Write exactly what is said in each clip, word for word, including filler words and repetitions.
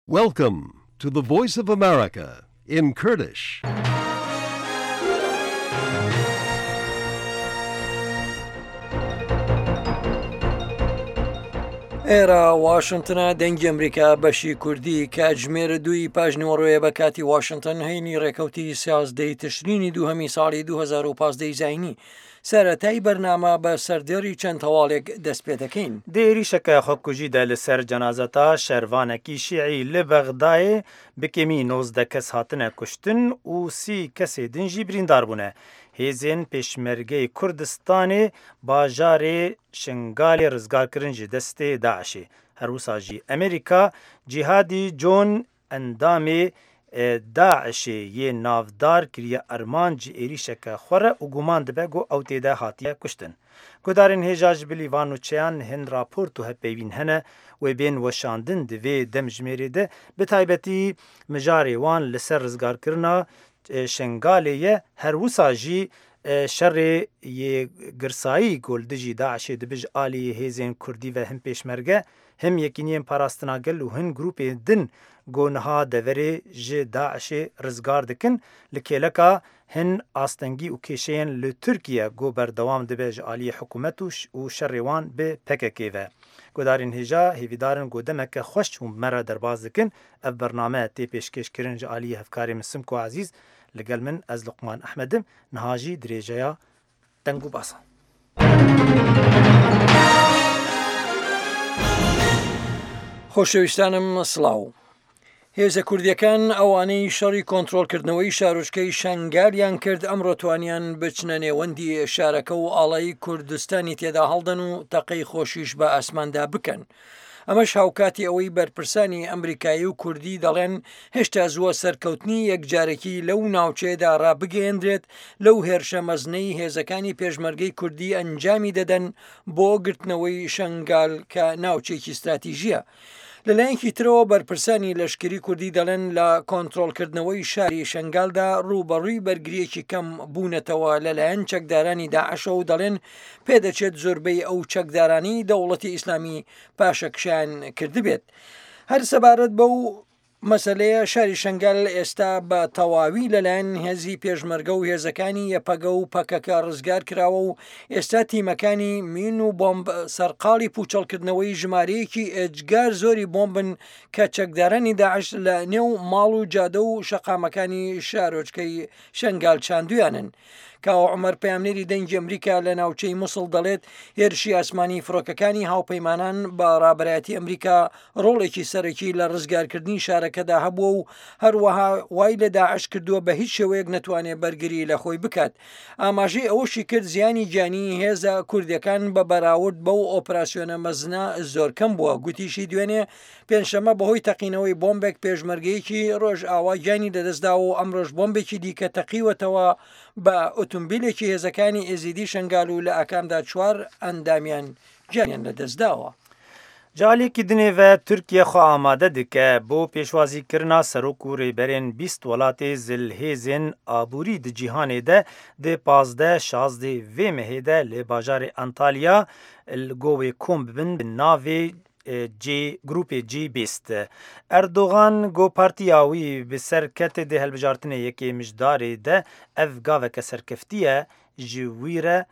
Welcome to the Voice of America in Kurdish. ئێرە واشنتنە دەنگی ئەمریکا بەشی کوردی کاتژمێر دووی پاژنیوەڕۆیە بە کاتی واشنتن هەینی ڕێکەوتی سیازدەی تشرینی دووهەمی ساڵی دوو هەزار و پازدە ی زاینی. سەرەتای بەرنامە بە سەردێڕی چەند هەواڵێک دەست پێ دەکەین. Di êrîşeke xwekujî de li ser cenazeta şervanekî Şîî li Bexdayê bi kêmî nozdeh kes hatine kuştin û sî kesê din jî birîndar bûne. Hêzên Pêşmergeyê Kurdistanê bajarê Şingalê rizgar kirin ji destê DAIŞê. Her wisa jî Amerîka Cîhadî Con endamê DAIŞê yê navdar kiriye armanc ji êrîşeke xwe re û guman dibe ku ew tê de hatiye kuştin. Guhdarên hêja ji bilî van nûçeyan hin raport û hevpeyvîn hene wê bên weşandin di vê demjimêrê de bi taybetî mijarê wan li ser rizgarkirina Şengalê ye her wisa jî şerê yê girsayî ku li dijî DAIŞê dibe ji aliyê hêzên Kurdî ve him pêşmerge him Yekîniyên Parastina Gel û hin grûpên din ku niha deverê ji DAIŞê rizgar dikin li kêleka hin astengî û kêşeyên li Tirkiye ku berdewam dibe ji aliyê hikûmet û şerê wan bi P K K ve. Guhdarên hêja hêvîdar in ku demeke xweş hûn bi me re derbas dikin. Ev bername tê pêşkêşkirin ji aliyê hevkarê min Simko Ezîz li gel min ez Luqman Ehmed im. Niha jî dirêjeya deng û basan. خۆشەویستانم سڵاو. هێزە کوردیەکان ئەوانەی شەڕی کۆنترۆڵکردنەوەی شارۆچکەی شەنگالیان کرد ئەمڕۆ توانیان بچنە نێوەندی شارەکە و ئاڵای کوردستانی تێدا هەڵدەن و تەقەی خۆشیش بە ئاسماندا بکەن. ئەمەش هاوکاتی ئەوەی بەرپرسانی ئەمریکایی و کوردی دەڵێن هێشتا زووە سەرکەوتنی یەکجارێکی لەو ناوچەیەدا ڕابگەیەندرێت لەو هێرشە مەزنەی هێزەکانی پێشمەرگەی کوردی ئەنجامی دەدەن بۆ گرتنەوەی شەنگال کە ناوچێکی استراتیژیە. لەلایەکی ترەوە بەرپرسانی لەشکری کوردی دەڵێن لە کۆنترۆڵکردنەوەی شاری شەنگالدا ڕووبەڕووی بەرگریەکی کەم بوونەتەوە لەلایەن چەکدارانی داعشەوە و دەڵێن پێدەچێت زۆربەی ئەو چەکدارانی دەوڵەتی ئیسلامی پاشەکشیان کردبێت. هەر سەبارەت بەو مەسلەیە شاری شەنگال ئێستا بە تەواوی لەلایەن هێزی پێشمەرگە و هێزەکانی یەپەگە و پەکەکە ڕزگار کراوە و ئێستا تیمەکانی مین و بۆمب سەرقاڵی پوچەڵکردنەوەی ژمارەیەکی ئێجگار زۆری بۆمبن کە چەکدارانی داعش لە نێو ماڵ و جادە و شەقامەکانی شارۆچکەی شەنگال چاندویانن. کاوە عومەر پەیامنێری دەنگی ئەمریکا لە ناوچەی موسڵ دەڵێت هێرشی ئاسمانی فڕۆکەکانی هاوپەیمانان بە ڕابەرایەتی ئەمریکا ڕۆڵێکی سەرەکی لە ڕزگارکردنی شارەکەدا هەبووە و هەروەها وای لە داعش کردووە بە هیچ شێوەیەک نەتوانێت بەرگری لە خۆی بکات. ئاماژەی ئەوەشی کرد زیانی گیانی هێزە کوردیەکان بە بەراورد بەو ئۆپراسیۆنە مەزنە زۆر کەم بووە. گوتیشی دوێنێ پێنجشەممە بەهۆی تەقینەوەی بۆمبێک پێشمەرگەیەکی ڕۆژئاوا گیانی لەدەستداوە و ئەمڕۆژ بۆمبێکی دیکە تەقیوەتەوە بە ئۆتۆمبیلێکی هێزەکانی ئێزیدی شەنگال و لە ئاکامدا چوار ئەندامیان گیانیان لەدەستداوە. جالێکی دنێوە تورکیە خۆ ئامادە دکە بۆ پێشوازیکردنا سەرۆک و ڕێبەرên بیست وڵاتê zilhêzên aborî di cîhanê de di pazdeh şazdeh vê mehê de li bajarê Antalya li govê kom bibin bi navê G grûpê G bîst. Erdogan got partiya wî bi ser ketê di hilbijartinê yekê mijdarê de ev gaveke serkeftiye ji wî re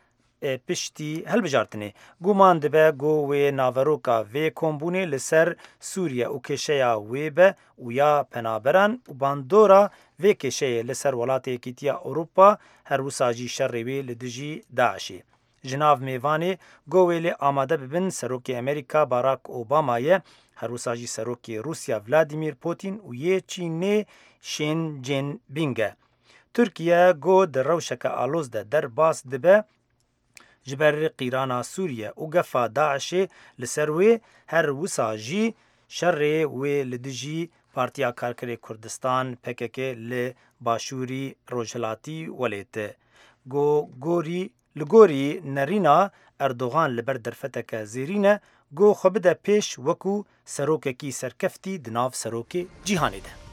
piştî hilbijartinê. Guman dibe ku wê naveroka vê kombûnê li ser Sûriye û kêşeya wê be û ya penaberan û bandora vê kêşeyê li ser welatê Yekîtiya Ewropa her wisa jî şerê wê li dijî DAIŞê. Ji nav mêvanê govê lê amade bibin Serokê Amerîka Barack Obama ye, her wisa jî Serokê Rûsya Vladimir Putin û yê Çînê Xi Jinping e. Tirkiye got di rewşeke aloz de derbas dibe ji ber qîrana Sûriye û gefa DAIŞê li ser wê her wisa jî şerê wê li dijî Partiya Karkerê Kurdistan P K K li Başûrî Rojhilatî welêt. Go gorî li gorî nerîna Erdogan li ber derfeteke zêrîn e got xwe bide pêş wekû serokekî serkeftî di nav serokê cîhanê de.